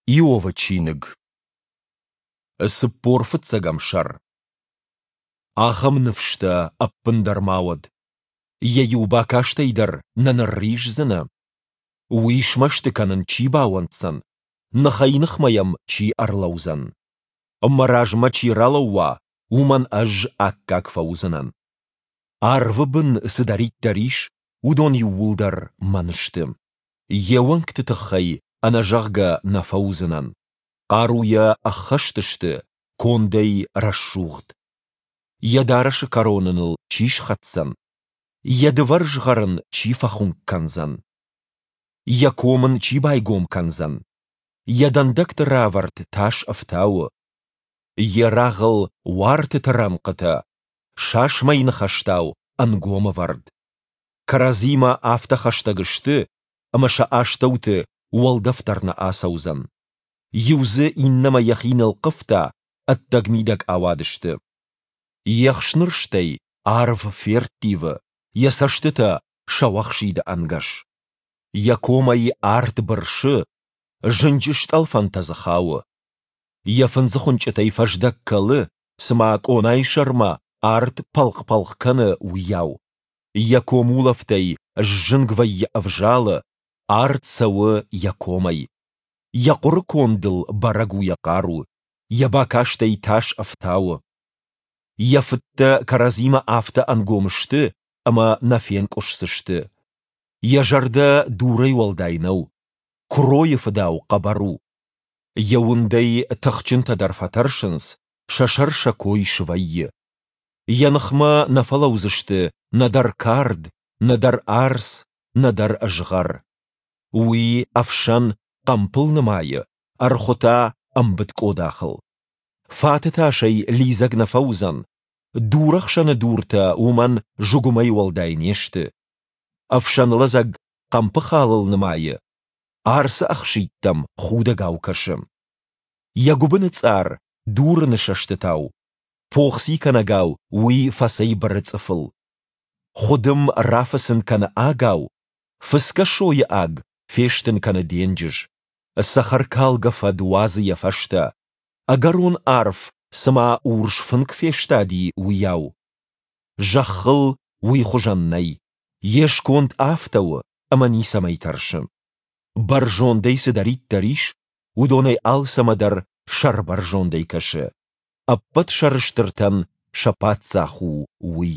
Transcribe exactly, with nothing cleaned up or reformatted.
Иовы чиныг. Цыппор фыццӕгӕм сӕр. Ахӕм ныфс дӕ ӕппындӕр ма уӕд. Йӕ иу бакастӕй дӕр нӕ нырриздзынӕ. Уый смӕсты кӕнын чи бауӕнддзӕн, ныхӕй-ныхмӕ йӕм чи ӕрлӕудзӕн? Мӕ размӕ чи ралӕууа, уымӕн ӕз аккаг фӕуыдзынӕн. Арвы бын цыдӕриддӕр ис, уыдон иууылдӕр мӕн сты. Йе уӕнгты тыххӕй ӕнӕзӕгъгӕ нӕ фӕуыдзынӕн. Хъаруйӕ ӕххӕст сты, кондӕй рӕсугъд. Йӕ дарӕсы кӕрон ын ыл чи схӕцдзӕн? Йӕ дывӕр згъӕр ын чи фӕхуынкъ кӕндзӕн? Йӕ ком ын чи байгом кӕндзӕн? Йӕ дӕндӕгты равӕрд тас ӕфтауы. Йе рагъыл уартыты рӕнхъытӕ, сасмӕй ныхӕстау, ӕнгом ӕвӕрд. Кӕрӕдзимӕ афтӕ хӕстӕг сты, ӕмӕ сӕ астӕуты уӕлдӕф дӕр нӕ ацӕудзӕн. Иу дзы иннӕмӕ йӕхи нылхъывта, ӕддӕг-мидӕг ауадысты. Йе хснырстӕй арв ферттивы, йӕ цӕстытӕ сӕуӕхсиды ӕнгӕс. Йӕ комӕй арт бырсы, зынджы стъӕлфӕнтӕ дзы хауы. Йӕ фындзыхуынчъытӕй фӕздӕг кӕлы, цыма къонайы сӕрмӕ арт пӕлхъ-пӕлхъ кӕны, уыйау. Йӕ комулӕфтӕй сзынг вӕййы ӕвзалы, арт цӕуы йӕ комӕй. Йӕ хъуыры кондыл бӕрӕг у йӕ хъару, йӕ бакастӕй тас ӕфтауы. Йӕ фыдтӕ кӕрӕдзимӕ афтӕ ӕнгом сты, ӕмӕ нӕ фенкъуысдзысты. Йӕ зӕрдӕ дурӕй уӕлдай нӕу, куыройы фыдау хъӕбӕр у. Йӕ уындӕй тыхджынтӕ дӕр фӕтӕрсынц, сӕ сӕр сӕ кой свӕййы. Йӕ ныхмӕ нӕ фӕлӕудзысты нӕдӕр кард, нӕдӕр арц, нӕдӕр згъӕр. Уый ӕфсӕн хъӕмпыл нымайы, ӕрхуы та ӕмбыд къодахыл. Фаты тасӕй лидзӕг нӕ фӕуыдзӕн, дурӕхсӕны дуртӕ уымӕн зыгуымӕй уӕлдай не сты. Ӕфсӕн лӕдзӕг хъӕмпы халыл нымайы, арцы ӕхситтӕм худӕгау кӕсы. Йӕ гуыбыны цъар дурыны сӕстытау, похци кӕнӕгау уый фӕцӕйбыры цъыфыл. Хуыдым рафыцын кӕны агау, фыцгӕ сойы аг фестын кӕны денджыз. Цӕхӕркалгӕ фӕд уадзы йӕ фӕстӕ, ӕгӕрон арф цыма урс фынк фестади, уыйау. Зӕххыл уый хуызӕн нӕй, йе сконд афтӕ у, ӕмӕ ницӕмӕй тӕрсы. Бӕрзондӕй цыдӕриддӕр ис, уыдонӕй алцӕмӕ дӕр сӕрбӕрзондӕй кӕсы. Ӕппӕт сӕрыстыртӕн сӕ паддзах у уый.